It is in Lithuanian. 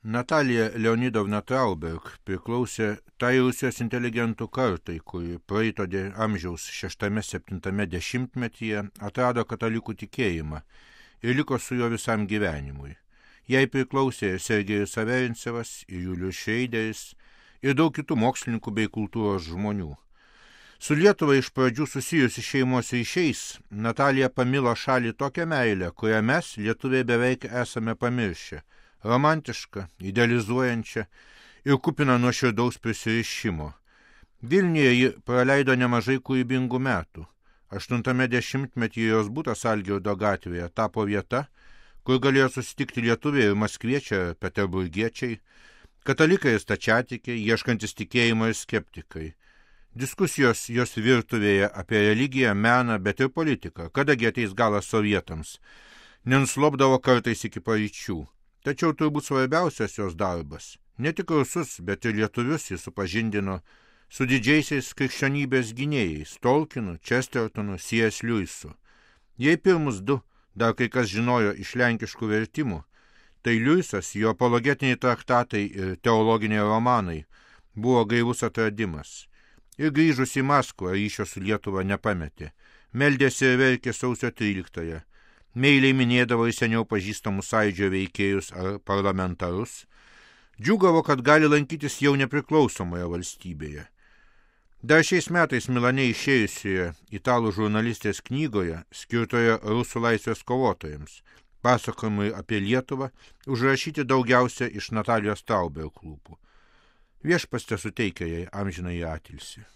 Natalija Leonidovna Trauberg priklausė tai Rusijos inteligentų kartai, kuri praeito amžiaus 6-7 dešimtmetyje atrado katalikų tikėjimą ir liko su juo visam gyvenimui. Jai priklausė ir Sergejus Averincevas, ir Julius Šreideris, ir daug kitų mokslininkų bei kultūros žmonių. Su Lietuva iš pradžių susijusi šeimos ryšiais, Natalija pamilo šalį tokią meilę, kurią mes, lietuviai, beveik esame pamiršę. Romantiška, idealizuojančia ir kupina nuoširdaus prisirišimo. Vilniuje ji praleido nemažai kūrybingų metų. 8 dešimtmetyje jos butas Algirdo gatvėje tapo vieta, kur galėjo susitikti lietuviai ir maskviečiai, peterburgiečiai, katalikai ir stačiatikiai, ieškantis tikėjimo ir skeptikai. Diskusijos jos virtuvėje apie religiją, meną, bet ir politiką, kadagi ateis galas sovietams, nenuslopdavo kartais iki paryčių. Tačiau turbūt svarbiausias jos darbas. Ne tik rusus, bet ir lietuvius jis supažindino su didžiaisiais krikščionybės gynėjais – Tolkienu, Chestertonu, C.S. Lewisu. Jei pirmus du dar kai kas žinojo iš lenkiškų vertimų, tai Lewisas, jo apologetiniai traktatai ir teologiniai romanai buvo gaivus atradimas. Ir grįžus į Maskvą ryšio su Lietuva nepametė. Meldėsi ir verkė sausio 13-ąją. Meiliai minėdavo į seniau pažįstamus sąjūdžio veikėjus ar parlamentarus. Džiūgavo, kad gali lankytis jau nepriklausomoje valstybėje. Dar šiais metais Milane išėjusioje italų žurnalistės knygoje, skirtoje rusų laisvės kovotojams, pasakojimai apie Lietuvą, užrašyti daugiausia iš Natalijos Trauberg lūpų. Viešpats tesuteikia jai amžinąjį atilsį.